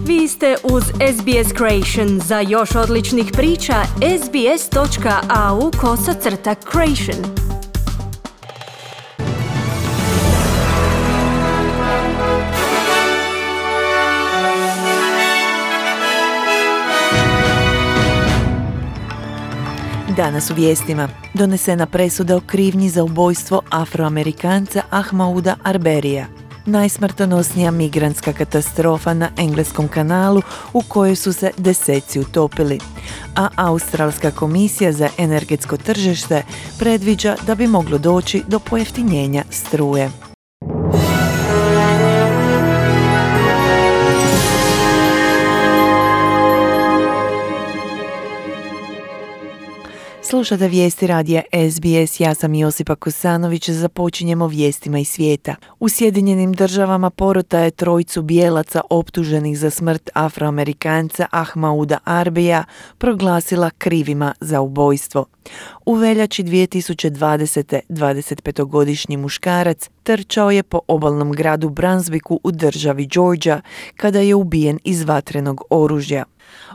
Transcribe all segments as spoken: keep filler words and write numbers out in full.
Vi ste uz S B S Creation. Za još odličnih priča, sbs.au kosacrta creation. Danas u vijestima. Donesena presuda o krivnji za ubojstvo Afroamerikanca Ahmauda Arberyja. Najsmrtonosnija migrantska katastrofa na engleskom kanalu u kojoj su se deseci utopili. A Australska komisija za energetsko tržište predviđa da bi moglo doći do pojeftinjenja struje. Slušate vijesti radija S B S, ja sam Josipa Kosanović, započinjemo vijestima iz svijeta. U Sjedinjenim državama porota je trojicu bijelaca optuženih za smrt Afroamerikanca Ahmauda Arberyja proglasila krivima za ubojstvo. U veljači dvije tisuće dvadesete. dvadesetpetogodišnji muškarac trčao je po obalnom gradu Brunswicku u državi Georgia kada je ubijen iz vatrenog oružja.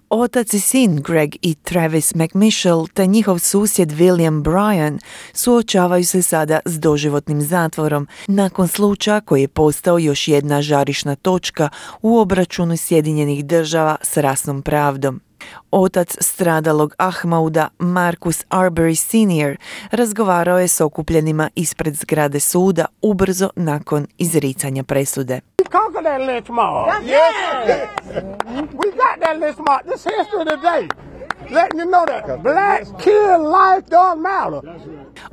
Otac i sin Greg i Travis McMichael te njihov susjed William Bryan suočavaju se sada s doživotnim zatvorom nakon slučaja koji je postao još jedna žarišna točka u obračunu Sjedinjenih država s rasnom pravdom. Otac stradalog Ahmauda, Marcus Arbery senior, razgovarao je s okupljenima ispred zgrade suda ubrzo nakon izricanja presude.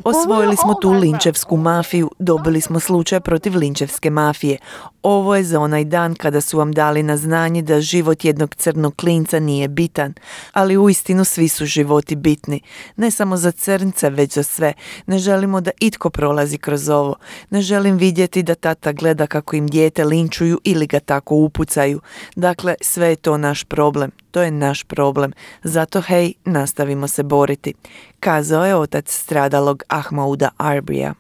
Osvojili smo tu linčevsku mafiju, dobili smo slučaj protiv linčevske mafije. Ovo je za onaj dan kada su vam dali na znanje da život jednog crnog klinca nije bitan, ali uistinu svi su životi bitni. Ne samo za crnce, već za sve. Ne želimo da itko prolazi kroz ovo. Ne želim vidjeti da tata gleda kako im dijete linčuju ili ga tako upucaju. Dakle, sve je to naš problem. To je naš problem. Zato, hej, nastavimo se boriti, kazao je otac stradalog Ahmauda Arberyja.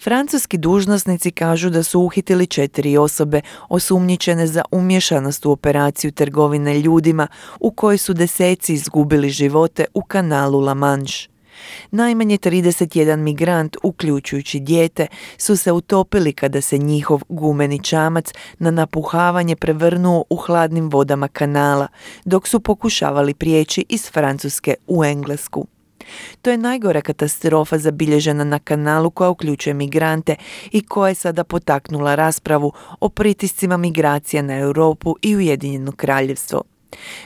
Francuski dužnosnici kažu da su uhitili četiri osobe osumnjičene za umješanost u operaciju trgovine ljudima u kojoj su deseci izgubili živote u kanalu La Manche. Najmanje trideset jedan migrant, uključujući dijete, su se utopili kada se njihov gumeni čamac na napuhavanje prevrnuo u hladnim vodama kanala, dok su pokušavali prijeći iz Francuske u Englesku. To je najgora katastrofa zabilježena na kanalu koja uključuje migrante i koja je sada potaknula raspravu o pritiscima migracija na Europu i Ujedinjeno Kraljevstvo.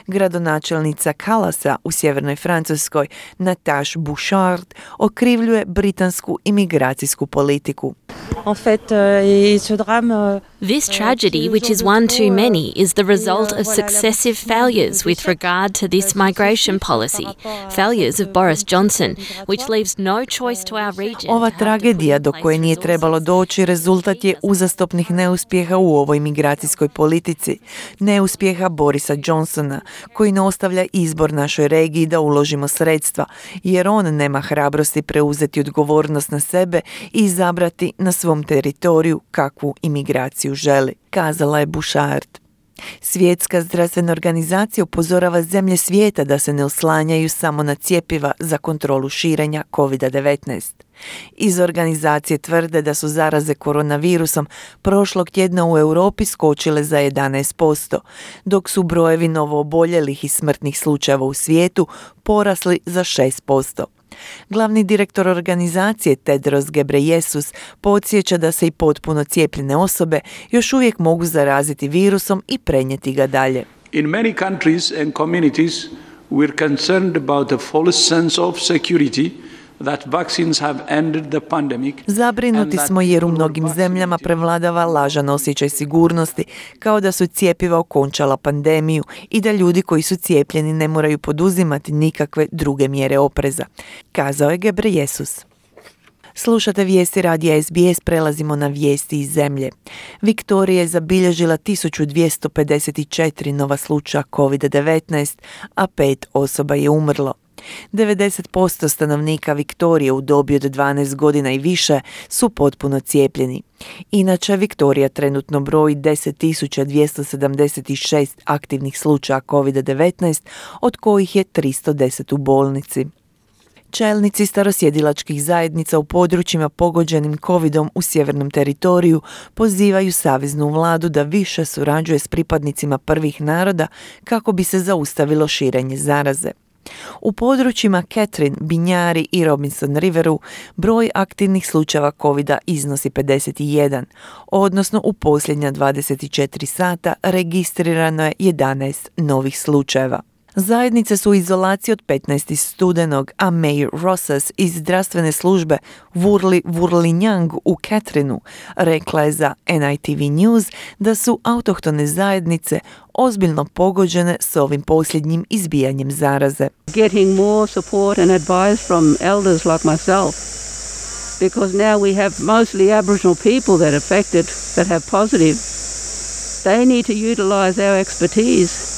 Gradonačelnica Callasa u sjevernoj Francuskoj, Natasha Bouchard, okrivljuje britansku imigracijsku politiku. This tragedy, which is one too many, is the result of successive failures with regard to this migration policy. Failures of Boris Johnson, which leaves no choice to our region. Ova tragedija do koje nije trebalo doći rezultat je uzastopnih neuspjeha u ovoj migracijskoj politici. Neuspjeha Borisa Johnsona, koji ne ostavlja izbor našoj regiji da uložimo sredstva, jer on nema hrabrosti preuzeti odgovornost na sebe i izabrati na svom teritoriju kakvu imigraciju želi, kazala je Bouchard. Svjetska zdravstvena organizacija upozorava zemlje svijeta da se ne oslanjaju samo na cjepiva za kontrolu širenja kovid devetnaest. Iz organizacije tvrde da su zaraze koronavirusom prošlog tjedna u Europi skočile za jedanaest posto, dok su brojevi novooboljelih i smrtnih slučajeva u svijetu porasli za šest posto. Glavni direktor organizacije Tedros Ghebreyesus podsjeća da se i potpuno cijepljene osobe još uvijek mogu zaraziti virusom i prenijeti ga dalje. In many countries and communities we're concerned about the false sense of security that vaccines have ended the pandemic. Zabrinuti smo jer u mnogim zemljama prevladava lažan osjećaj sigurnosti, kao da su cjepiva okončala pandemiju i da ljudi koji su cijepljeni ne moraju poduzimati nikakve druge mjere opreza, kazao je Ghebreyesus. Slušate vijesti radija S B S, prelazimo na vijesti iz zemlje. Viktorija je zabilježila tisuću dvjesto pedeset četiri nova slučaja kovid devetnaest, a pet osoba je umrlo. devedeset posto stanovnika Viktorije u dobi od dvanaest godina i više su potpuno cijepljeni. Inače, Viktorija trenutno broji deset tisuća dvjesto sedamdeset šest aktivnih slučaja kovid devetnaest, od kojih je tristo deset u bolnici. Čelnici starosjedilačkih zajednica u područjima pogođenim covidom u sjevernom teritoriju pozivaju saveznu vladu da više surađuje s pripadnicima prvih naroda kako bi se zaustavilo širenje zaraze. U područjima Catherine, Binjari i Robinson Riveru broj aktivnih slučajeva covida iznosi pedeset jedan, odnosno u posljednja dvadeset četiri sata registrirano je jedanaest novih slučajeva. Zajednice su u izolaciji od petnaestog studenog, a Mayor Rosas iz zdravstvene službe Wurli Wurlinjang u Catherineu rekla je za N I T V News da su autohtone zajednice ozbiljno pogođene s ovim posljednjim izbijanjem zaraze. Getting more support and advice from elders like myself, because now we have mostly Aboriginal people that are affected, that have positive. They need to utilize our expertise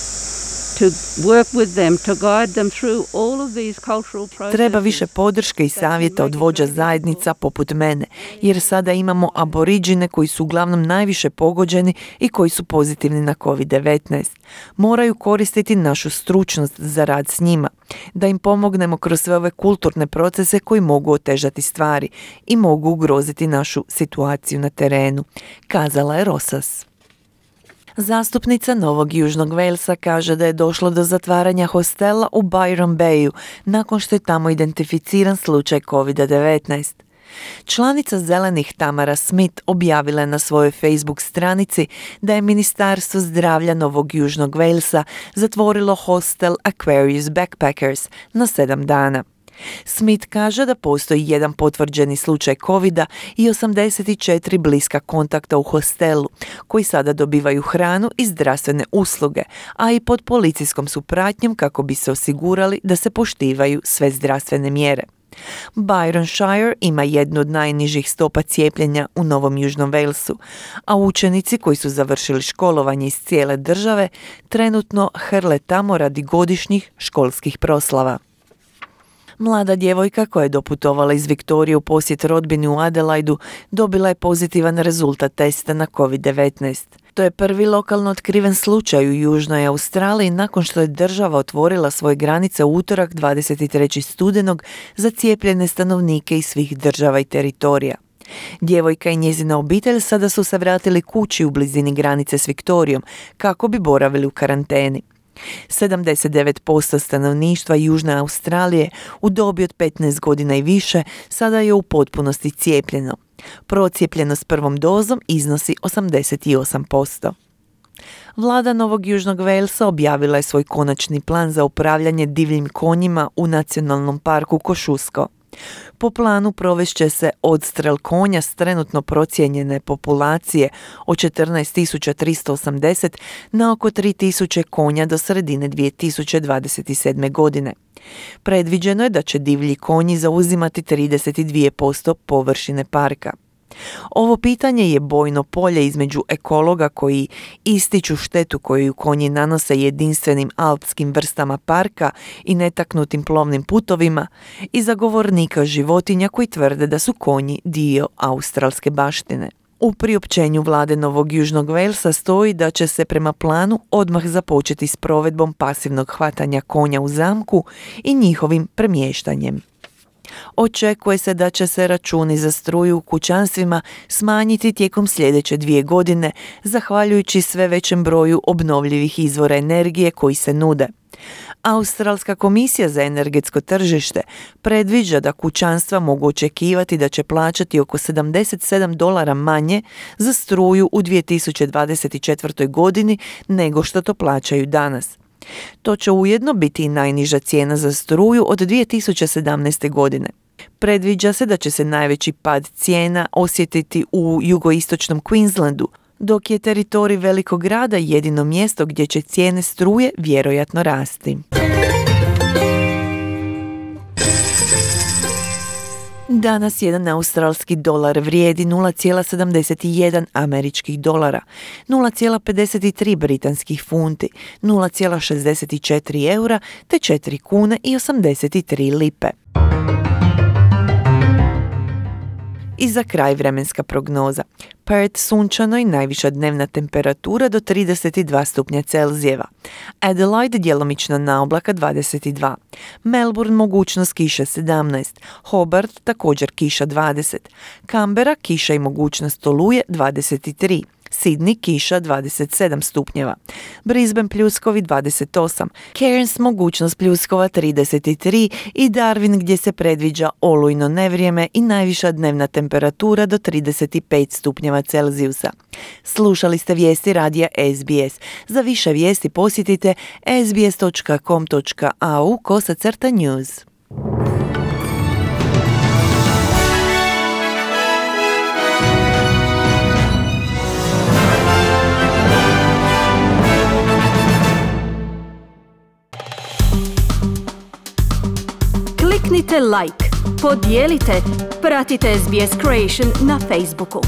to work with them, to guide them through all of these cultural processes. Treba više podrške i savjeta od vođa zajednica poput mene, jer sada imamo aboriđine koji su uglavnom najviše pogođeni i koji su pozitivni na kovid devetnaest. Moraju koristiti našu stručnost za rad s njima, da im pomognemo kroz sve ove kulturne procese koji mogu otežati stvari i mogu ugroziti našu situaciju na terenu, kazala je Rosas. Zastupnica Novog Južnog Walesa kaže da je došlo do zatvaranja hostela u Byron Bayu nakon što je tamo identificiran slučaj kovid devetnaest. Članica Zelenih Tamara Smith objavila je na svojoj Facebook stranici da je Ministarstvo zdravlja Novog Južnog Walesa zatvorilo hostel Aquarius Backpackers na sedam dana. Smith kaže da postoji jedan potvrđeni slučaj covida i osamdeset četiri bliska kontakta u hostelu, koji sada dobivaju hranu i zdravstvene usluge, a i pod policijskom su pratnjom kako bi se osigurali da se poštivaju sve zdravstvene mjere. Byron Shire ima jednu od najnižih stopa cijepljenja u Novom Južnom Walesu, a učenici koji su završili školovanje iz cijele države trenutno hrle tamo radi godišnjih školskih proslava. Mlada djevojka koja je doputovala iz Viktorije u posjet rodbini u Adelaidu dobila je pozitivan rezultat testa na kovid devetnaest. To je prvi lokalno otkriven slučaj u Južnoj Australiji nakon što je država otvorila svoje granice u utorak dvadeset trećeg studenog za cijepljene stanovnike iz svih država i teritorija. Djevojka i njezina obitelj sada su se vratili kući u blizini granice s Viktorijom kako bi boravili u karanteni. sedamdeset devet posto stanovništva Južne Australije u dobi od petnaest godina i više sada je u potpunosti cijepljeno. Procijepljenost prvom dozom iznosi osamdeset osam posto. Vlada Novog Južnog Walesa objavila je svoj konačni plan za upravljanje divljim konjima u nacionalnom parku Kosciuszko. Po planu provest će se odstrel konja s trenutno procijenjene populacije od četrnaest tisuća tristo osamdeset na oko tri tisuće konja do sredine dvije tisuće dvadeset sedme. godine. Predviđeno je da će divlji konji zauzimati trideset dva posto površine parka. Ovo pitanje je bojno polje između ekologa koji ističu štetu koju konji nanose jedinstvenim alpskim vrstama parka i netaknutim plovnim putovima i zagovornika životinja koji tvrde da su konji dio australske baštine. U priopćenju vlade Novog Južnog Walesa stoji da će se prema planu odmah započeti s provedbom pasivnog hvatanja konja u zamku i njihovim premještanjem. Očekuje se da će se računi za struju u kućanstvima smanjiti tijekom sljedeće dvije godine, zahvaljujući sve većem broju obnovljivih izvora energije koji se nude. Australska komisija za energetsko tržište predviđa da kućanstva mogu očekivati da će plaćati oko sedamdeset sedam dolara manje za struju u dvije tisuće dvadeset četvrtoj. godini nego što to plaćaju danas. To će ujedno biti i najniža cijena za struju od dvije tisuće sedamnaeste. godine. Predviđa se da će se najveći pad cijena osjetiti u jugoistočnom Queenslandu, dok je teritorij velikog grada jedino mjesto gdje će cijene struje vjerojatno rasti. Danas jedan australski dolar vrijedi nula zarez sedamdeset jedan američkih dolara, nula zarez pedeset tri britanskih funti, nula zarez šezdeset četiri eura te četiri kune i osamdeset tri lipe. I za kraj vremenska prognoza. Perth sunčano i najviša dnevna temperatura do trideset dva stupnja Celzijeva. Adelaide djelomično na oblaka dvadeset dva. Melbourne mogućnost kiše sedamnaest. Hobart također kiša dvadeset. Canberra kiša i mogućnost oluje dvadeset tri. Sydney kiša dvadeset sedam stupnjeva. Brisbane pljuskovi dvadeset osam. Cairns mogućnost pljuskova trideset tri i Darwin gdje se predviđa olujno nevrijeme i najviša dnevna temperatura do trideset pet stupnjeva Celzijusa. Slušali ste vijesti radija S B S. Za više vijesti posjetite sbs točka com točka a u kosacrta news. Kliknite like, podijelite, pratite S B S Creation na Facebooku.